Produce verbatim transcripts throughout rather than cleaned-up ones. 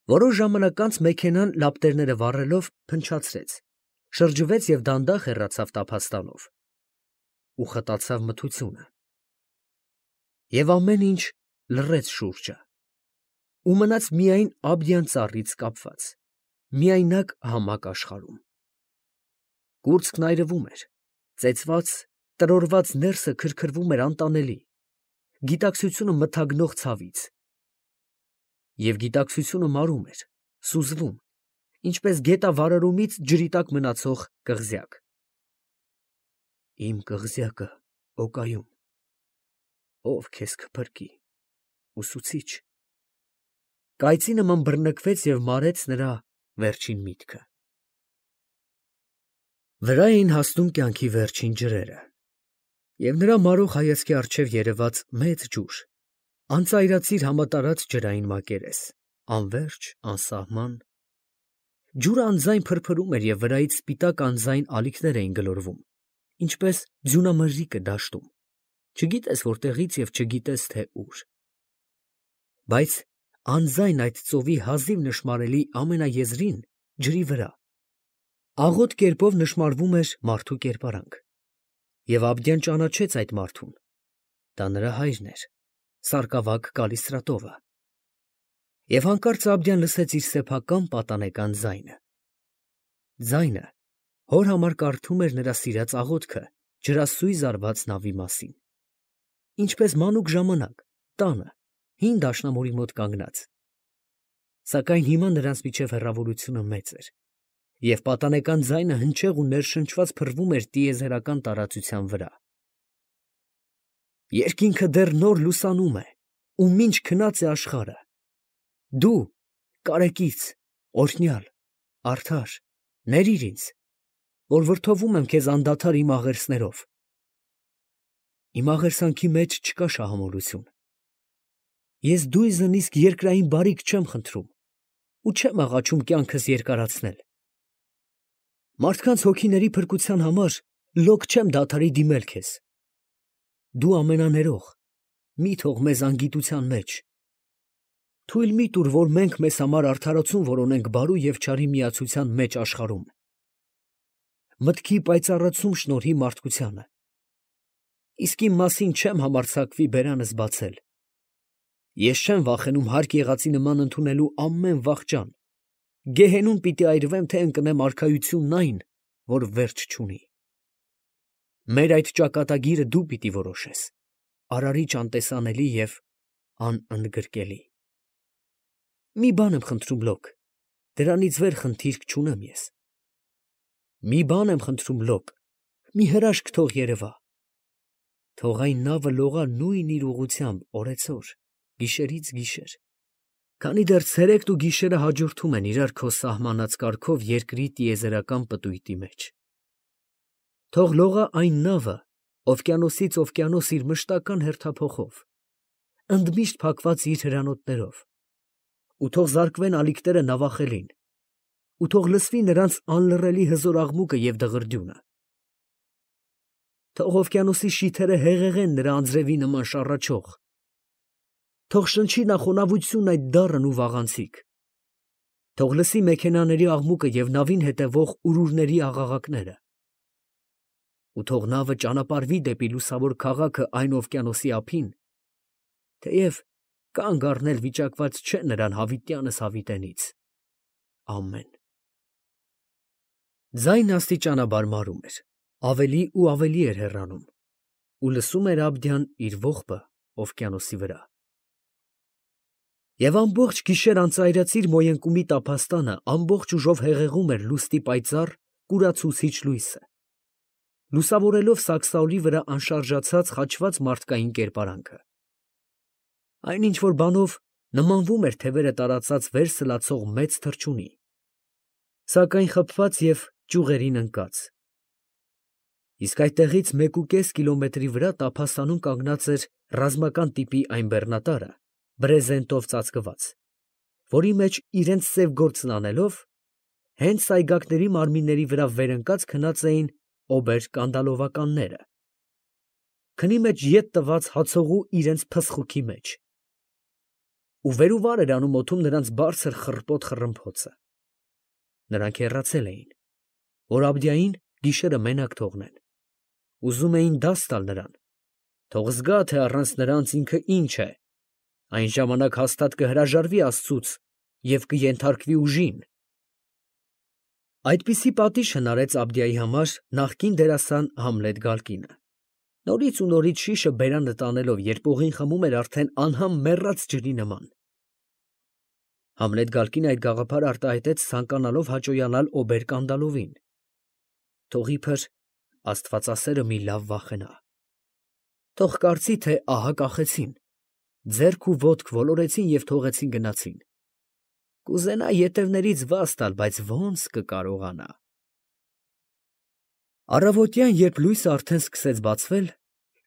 Որոշ ժամանակ անց մեքենան լապտերները վառելով փնչացրեց, շրջվեց և դանդաղ հեռացավ տափաստանով, ու խտացավ մթությունը, և ամեն ինչ լռեց շուրջը, ու մնաց միայն Աբդյան ծառից կապված, միայնակ համակ աշխարհում. կուրծքն այրվում էր, ծեծված, տրորված ներսը քրքրվում էր անտանելի, գիտակցությունը մթագնող ցավից, և գիտակցությունը մարում էր, սուզվում, ինչպես գետավարարումից ջրի տակ մնացող կղզյակ։ Իմ կղզյակը օկայում, ով քեզ կփրկի, ուսուցիչ, կայծի նման բռնկվեց և մարեց նրա վերջին միտքը։ Վրա էին հասնում կյանքի վերջին ջրերը, և նրա մարող հայացքի առջև երևաց մեծ ջուր, անծայրածիր համատարած ջրային մակերես, անվերջ, անսահման. ջուրը անձայն փրփրում էր և վրայից սպիտակ անձայն ալիքներ էին գլորվում, ինչպես ձյունամրրիկը դաշտում, չգիտես որտեղից և չգիտես թե ուր. բայց անձայն այդ ծովի հազիվ նշմարելի ամենաեզրին, ջրի վրա, աղոտ կերպով նշմարվում էր մարդու կերպարանք, և Աբդյան ճանաչեց այդ մարդուն. դա նրա հայրն էր, սարկավագ Կալիստրատովը, և հանկարծ Աբդյան լսեց իր սեփական պատանեկան ձայնը, ձայնը, հոր համար կարդում էր նրա սիրած աղոթքը ջրասույզ արված նավի մասին, ինչպես մանուկ ժամանակ, տանը, հին դաշնամուրի մոտ կանգնած, սակայն հիմա նրանց միջև հեռավորությունը մեծ էր, և պատանեկան ձայնը հնչեղ ու ներշնչված փռվում էր տիեզերական տարածության վրա. Երկինքը դեռ նոր լուսանում է, ու մինչ քնած է աշխարհը, դու, կարեկից, օրհնյալ, արդար, ներիր ինձ, որ վրդովում եմ քեզ անդադար իմ աղերսներով. իմ աղերսանքի մեջ չկա շահամոլություն, ես դույզն իսկ երկրային բարիք չեմ խնդրում ու չեմ աղաչում կյանքս երկարացնել, մարդկանց հոգիների փրկության համար լոկ չեմ դադարի դիմել քեզ, դու ամենաներող, մի թող մեզ անգիտության մեջ, թույլ մի տուր, որ մենք մեզ համար արդարացում որոնենք բարու և չարի միացության մեջ աշխարհում, մտքի պայծառացում շնորհի մարդկությանը, իսկ իմ մասին չեմ համարձակվի բերանս բացել, ես չեմ վախենում հարկ եղածի նման ընդունելու ամեն վախճան, գեհենում պիտի այրվեմ, թե ընկնեմ արքայությունն այն, որ վերջ չունի, մեր այդ ճակատագիրը դու պիտի որոշես, արարիչ անտեսանելի և անընդգրկելի, մի բան եմ խնդրում լոկ, դրանից վեր խնդիրք չունեմ ես, մի բան եմ խնդրում լոկ, մի հրաշք թող երևա, թող այն նավը լողա նույն իր ուղղությամբ օրեցօր, գիշերից գիշեր, քանի դեռ ցերեկն ու գիշերը հաջորդում են իրար քո սահմանած կարգով երկրի տիեզերական պտույտի մեջ, թող լողա այն նավը օվկիանոսից օվկիանոս իր մշտական հերթափոխով, ընդմիշտ փակված իր հրանոթներով, ու թող զարկվեն ալիքները նավախելին, ու թող լսվի նրանց անլռելի հզոր աղմուկը և դղրդյունը, թող օվկիանոսի շիթերը հեղեղեն նրա անձրևի նման շառաչող, թող շնչի նա խոնավությունն այդ դառն ու վաղանցիկ, թող լսի մեքենաների աղմուկը և նավին հետևող ուրուրների աղաղակները, ու թող նավը ճանապարհվի դեպի լուսավոր քաղաքը այն օվկիանոսի ափին, թեև կանգ առնել վիճակված չէ նրան հավիտյանս հավիտենից, ամեն… Ձայնը աստիճանաբար մարում էր, ավելի ու ավելի էր հեռանում, ու լսում էր Աբդյան իր ողբը օվկիանոսի վրա… Եվ ամբողջ գիշեր անծայրածիր մոյընկումի տափաստանը ամբողջ ուժով հեղեղում էր լուստի պայծառ, կուրացուցիչ լույսը, լուսավորելով սակսաոլի վրա անշարժացած խաչված մարդկային կերպարանքը, այն ինչ֊որ բանով նմանվում էր թևերը տարածած վեր սլացող մեծ թռչունի, սակայն խաբված և ճյուղերին ընկած, իսկ այդտեղից մեկուկես կիլոմետրի վրա տափաստանում կանգնած էր ռազմական տիպի այն բեռնատարը, բրեզենտով ծածկված, որի մեջ իրենց սև գործն անելով, հենց սայգակների մարմինների վրա վեր ընկած քնած էին օբեր֊կանդալովականները, քնի մեջ ետ տված հացողու իրենց փսխուքի մեջ, ու վեր ու վար էր անում օդում նրանց բարձր խռպոտ խռմփոցը։ Նրանք հեռացել էին, որ Աբդիային գիշերը մենակ թողնեն, ուզում էին դաս տալ նրան, թող զգա, թե առանց նրանց ինքը ինչ է, այն ժամանակ հաստատ կհրաժարվի աստծուց և կենթարկվի ուժին։ Այդպիսի պատիժ հնարեց Աբդիայի համար նախկին դերասան Համլետ Գալկինը, նորից ու նորից շիշը բերանը տանելով, երբ օղին խմում էր արդեն անհամ մեռած ջրի նման։ Համլետ Գալկինը այդ գաղափարը արտահայտեց, ցանկանալով հաճոյանալ Օբերկանդալովին, թող իբր աստվածասերը մի լավ վախենա, թող կարծի, թե ահա կախեցին, ձեռք ու ոտք ոլորեցին և թողեցին գնացին, կուզենա ետևներից վազ տալ, բայց ո՞նց կկարողանա։ Առավոտյան, երբ լույսը արդեն սկսեց բացվել,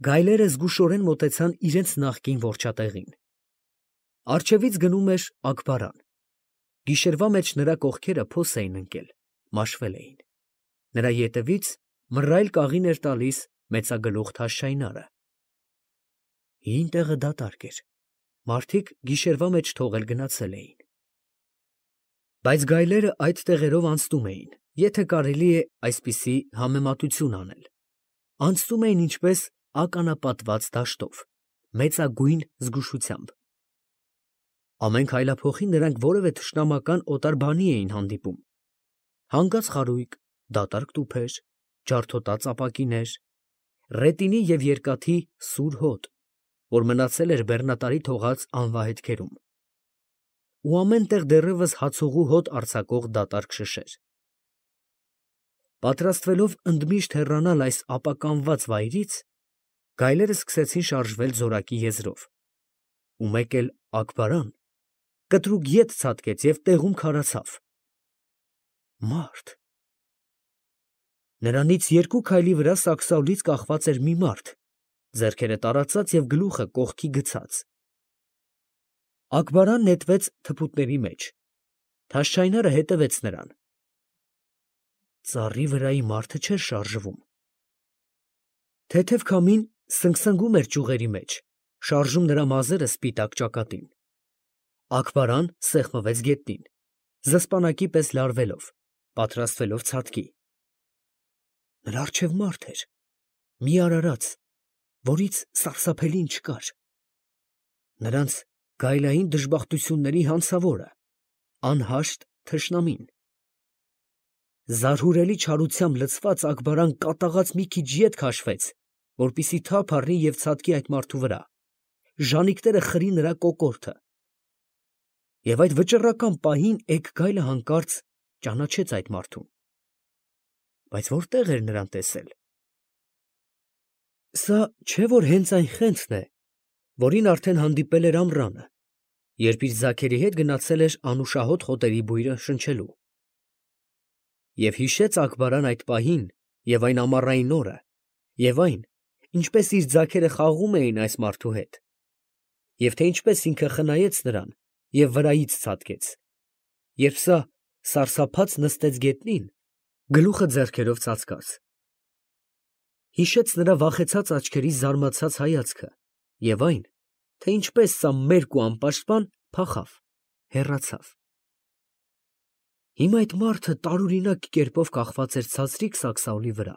գայլերը զգուշորեն մոտեցան իրենց նախկին որջատեղին։ Առջևից գնում էր Աքբարան, գիշերվա մեջ նրա կողքերը փոս էին ընկել, մաշվել էին, նրա ետևից մռայլ կաղին էր տալիս մեծագլուխ Թաշչայնարը։ Հին տեղը դատարկ էր, մարդիկ գիշերվա մեջ թողել գնացել էին։ Բայց գայլերը այդ տեղերով անցնում էին, եթե կարելի է այսպիսի համեմատություն անել, անցնում էին ինչպես ականապատված դաշտով, մեծագույն զգուշությամբ։ Ամեն քայլափոխին նրանք որևէ թշնամական օտար բանի էին հանդիպում. հանգած խարույկ, դատարկ տուփեր, ջարդոտած ապակիներ, ռետինի և երկաթի սուր հոտ, որ մնացել էր բեռնատարի թողած անվահետքերում, ու ամեն տեղ դեռևս հացողու հոտ արձակող դատարկ շշեր։ Պատրաստվելով ընդմիշտ հեռանալ այս ապականված վայրից, գայլերը սկսեցին շարժվել զորակի եզրով, ու մեկ էլ Աքբարան կտրուկ ետ ցատկեց և տեղում քարացավ։ Մարդ… Նրանից երկու քայլի վրա սակսաղուլից կախված էր մի մարդ, ձեռքերը տարածած և գլուխը կողքի գցած։ Աքբարան նետվեց թփուտների մեջ, Թաշչայնարը հետևեց նրան։ Ծառի վրայի մարդը չէր շարժվում։ Թեթև քամին սնգսնգում էր ճյուղերի մեջ, շարժում նրա մազերը սպիտակ ճակատին։ Աքբարան սեղմվեց գետնին, զսպանակի պես լարվելով, պատրաստվելով ցատկի։ Նրա առջև մարդ էր, մի արարած, որից սարսափելին չկար, նրանց գայլային դժբախտությունների հանցավորը, անհաշտ թշնամին։ Զարհուրելի չարությամբ լցված Աքբարան կատաղած մի քիչ ետ քաշվեց, որպեսզի թափ առնի և ցատկի այդ մարդու վրա, ժանիքները խրի նրա կոկորդը։ Եվ այդ վճռական պահին էգ գայլը հանկարծ ճանաչեց այդ մարդուն։ Բայց որտե՞ղ էր նրան տեսել։ Սա չէ՞ որ հենց այն խենթն է, որին արդեն հանդիպել էր ամռանը, երբ իր ձագերի հետ գնացել էր անուշահոտ խոտերի բույրը շնչելու։ Եվ հիշեց Աքբարան այդ պահին և այն ամառային օրը, և այն, ինչպես իր ձագերը խաղում էին այս մարդու հետ, և թե ինչպես ինքը խնայեց նրան և վրայից ցատկեց, երբ սա սարսափած նստեց գետնին, գլուխը ձեռքերով ծածկած։ Հիշեց նրա վախեցած աչքերի զարմացած հայացքը և այն, թե ինչպես սա մերկ ու անպաշտպան փախավ, հեռացավ։ Հիմա այդ մարդը տարօրինակ կերպով կախված էր ցածրիկ սակսաղուլի վրա,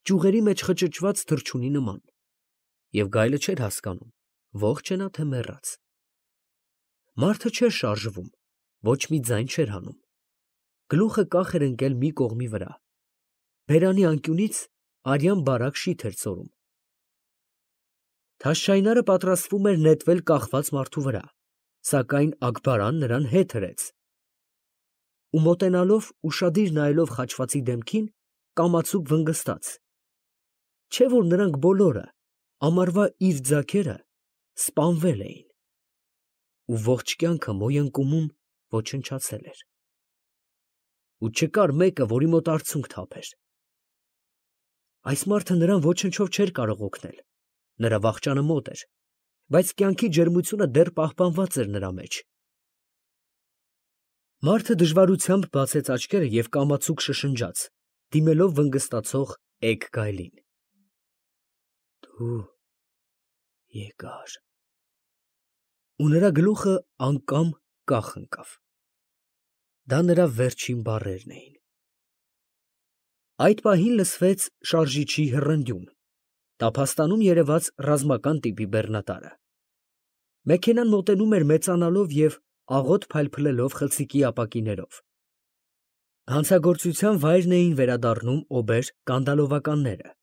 ճյուղերի մեջ խճճված թռչունի նման, և գայլը չէր հասկանում, ողջ է նա, թե մեռած։ Մարդը չէր շարժվում, ոչ մի ձայն չէր հանում, գլուխը կախ էր ընկել մի կողմի վրա, բերանի անկյունից արյան բարակ շիթ էր ծորում։ Թաշչայնարը պատրաստվում էր նետվել կախված մարդու վրա, սակայն Աքբարան նրան հետ հրեց, ու մոտենալով ուշադիր նայելով խաչվածի դեմքին, կամացուկ վնգստաց, չէ՞ որ նրանք բոլորը, ամառվա իր ձագերը, սպանվել էին, ու ողջ կյանքը մոյընկումում ոչնչացել էր, ու չկար մեկը, որի մոտ արցունք թափեր։ Այս մարդը նրան ոչնչով չէր կարող օգնել, նրա վախճանը մոտ էր, բայց կյանքի ջերմությունը դեռ պահպանված էր նրա մեջ։ Մարդը դժվարությամբ բացեց աչքերը և կամացուկ շշնջաց, դիմելով վնգստացող էգ գայլին. Դու եկար։ ու նրա գլուխը անգամ կախ ընկավ։ Դա նրա վերջին բառերն էին։ Այդ պահին լսվեց շարժիչի հռնդյուն, տափաստանում երևաց ռազմական տիպի բեռնատարը։ Մեքենան մոտենում էր մեծանալով և աղոտ փայլփլելով խցիկի ապակիներով։ Հանցագործության վայրն էին վերադառնում օբեր կանդալովականները։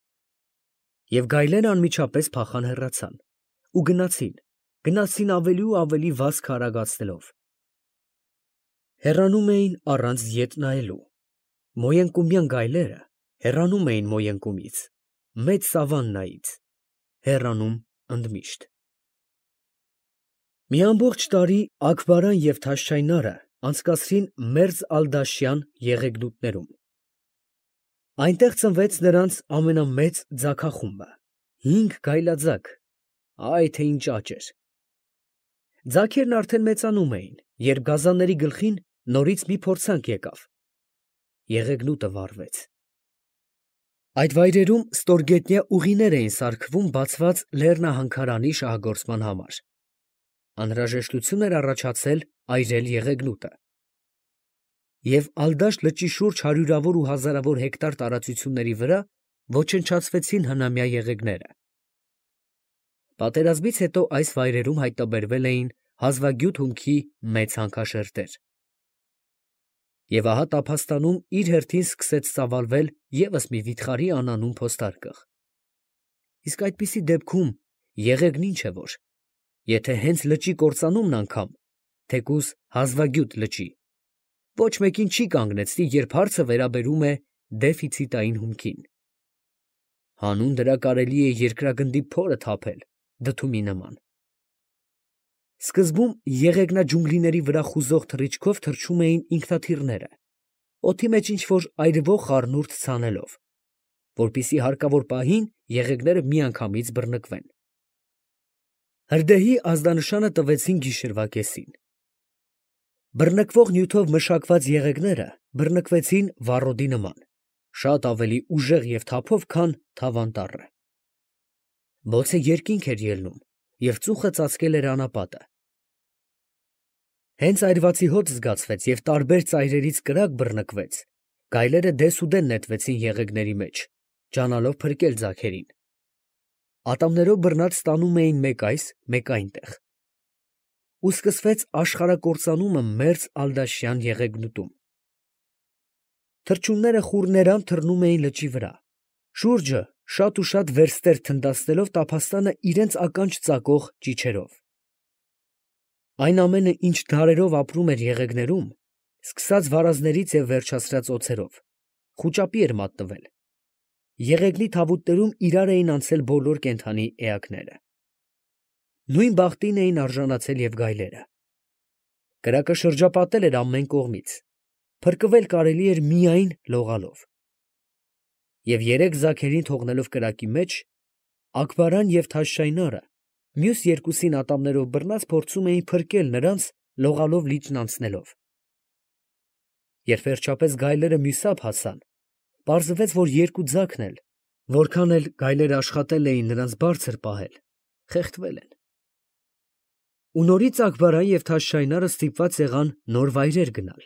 Եվ գայլերը անմիջապես փախան հեռացան ու գնացին, գնացին ավելի ու ավելի վազքը արագացնելով։ Հեռանում էին առանց ետ նայելու։ Մոյենկումյան գայլերը հեռանում էին Մոյենկումից, մեծ սավաննայից, հեռանում ընդմիշտ։ Մի ամբողջ տարի Աքբարան և Թաշչայնարը անցկացրին Մերձ Ալ֊Դաշյան եղեգնուտներում։ Այնտեղ ծնվեց նրանց ամենամեծ ձագախումբը, հինգ գայլաձագ, այ թե ինչ աճ էր։ Ձագերն արդեն մեծանում էին, երբ գազանների գլխին նորից մի փորձանք եկավ։ Եղեգնուտը վառվեց։ Այդ վայրերում ստորգետնյա ուղիներ էին սարքվում բացված լեռնահանքարանի շահագործման համար։ Անհրաժեշտություն էր առաջացել այրել եղեգնուտը։ Եվ Ալ֊Դաշտ լճի շուրջ հարյուրավոր ու հազարավոր հեկտար տարածությունների վրա ոչնչացվեցին հնամյա եղեգները։ Պատերազմից հետո այս վայրերում հայտնաբերվել էին հազվագյուտ հումքի մեծ հանքաշերտեր։ Եվ ահա տափաստանում իր հերթին սկսեց ծավալվել ևս մի վիթխարի անանուն փոստարկղ։ Իսկ այդպիսի դեպքում եղեգն ինչ է որ, եթե հենց լճի կործանումն անգամ, թեկուզ հազվագյուտ լճի, ոչ մեկին չի կանգնեցնի, երբ հարցը վերաբերում է դեֆիցիտային հումքին։ Հանուն դրա կարելի է երկրագնդի փորը թափել դդումի նման։ Սկզբում եղեգնաջունգլիների վրա խուզող թռիչքով թռչում էին ինքնաթիռները, օդի մեջ ինչ֊որ այրվող խառնուրդ ցանելով, որպեսզի հարկավոր պահին եղեգները միանգամից բռնկվեն։ Հրդեհի ազդանշանը տվեցին գիշերվա կեսին։ Բռնկվող նյութով մշակված եղեգները բռնկվեցին վառոդի նման, շատ ավելի ուժեղ և թափով, քան թավան տառը։ Բոցը երկինք էր ելնում, և ծուխը ծածկել էր անապատը։ Հենց այրվածի հոտ զգացվեց և տարբեր ծայրերից կրակ բռնկվեց, գայլերը դեսուդեն նետվեցին եղեգների մեջ, ջանալով փրկել ձագերին։ Ատամներով բռնած տանում էին մեկ այս, մեկ այնտեղ։ Ու սկսվեց աշխարհակործանումը Մերձ Ալ֊Դաշյան եղեգնուտում։ Թռչունները խուռներամ թռնում էին լճի վրա, շուրջը շատ ու շատ վերստեր թնդացնելով տափաստանը իրենց ականջ ծակող ճիչերով։ Այն ամենը, ինչ դարերով ապրում էր եղեգներում, սկսած վարազներից և վերջացրած օձերով, խուճապի էր մատնվել։ Եղեգնի թավուտներում իրար էին անցել բոլոր կենդանի էակները։ Նույն բախտին էին արժանացել և գայլերը։ Կրակը շրջապատել էր ամեն կողմից, փրկվել կարելի էր միայն լողալով։ Եվ երեք ձագերին թողնելով կրակի մեջ, Աքբարան և Թաշչայնարը մյուս երկուսին ատամներով բռնած փորձում էին փրկել նրանց լողալով լիճն անցնելով։ Երբ վերջապես գայլերը մյուսափ հասան, պարզվեց, որ երկու ձագն էլ, որքան էլ գայլերը աշխատել էին նրանց բարձր պահել, խեղդվել են։ Ու նորից Աքբարան և Թաշչայնարը ստիպված եղան նոր վայրեր գնալ։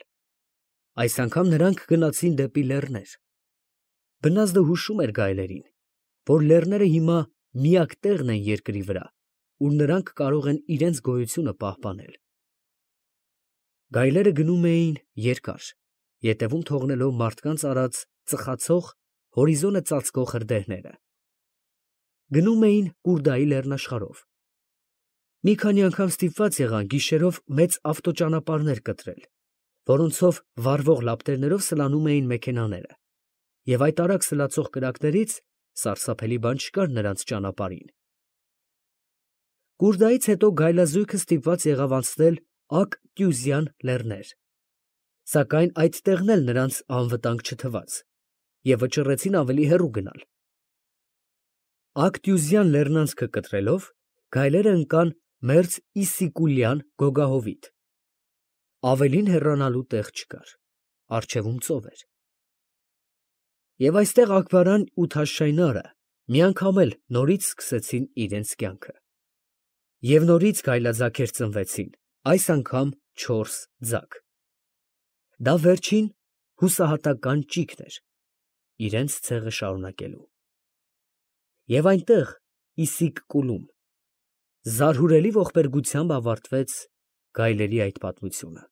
Այս անգամ նրանք գնացին դեպի լեռներ։ Բնազդը հուշում էր գայլերին, որ լեռները հիմա միակ տեղն են երկրի վրա, ուր նրանք կարող են իրենց գոյությունը պահպանել։ Գայլերը գնում էին երկար, ետևում թողնելով մարդկանց արած ծխացող, հորիզոնը ծածկող հրդեհները։ Գնում էին Կուրդայի լեռնաշխարհով։ Մի քանի անգամ ստիպված եղան գիշերով մեծ ավտոճանապարհներ կտրել, որոնցով վառվող լապտերներով սլանում էին մեքենաները, և այդ արագ սլացող կրակներից սարսափելի բան չկար նրանց ճանապարհին։ Կուրդայից հետո գայլաձույգը ստիպված եղավ անցնել Ակ լեռներ, սակայն այդ տեղն էլ նրանց անվտանգ չթվաց, և վճռեցին ավելի հեռու գնալ։ Ակ լեռնանցքը կտրելով, գայլերը ընկան Մերձ Իսսիկուլյան գոգահովիտ։ Ավելին հեռանալու տեղ չկար, առջևում ծով էր։ Եվ այստեղ Աքբարան ու Թաշչայնարը միանգամ էլ նորից սկսեցին իրենց կյանքը։ Եվ նորից գայլաձագեր ծնվեցին, այս անգամ չորս ձագ. դա վերջին հուսահատական ճիգն էր, իրենց ցեղը շարունակելու։ Եվ այնտեղ, Իսիկ֊Կուլում, զարհուրելի ողբերգությամբ ավարտվեց գայլերի այդ պատմությունը։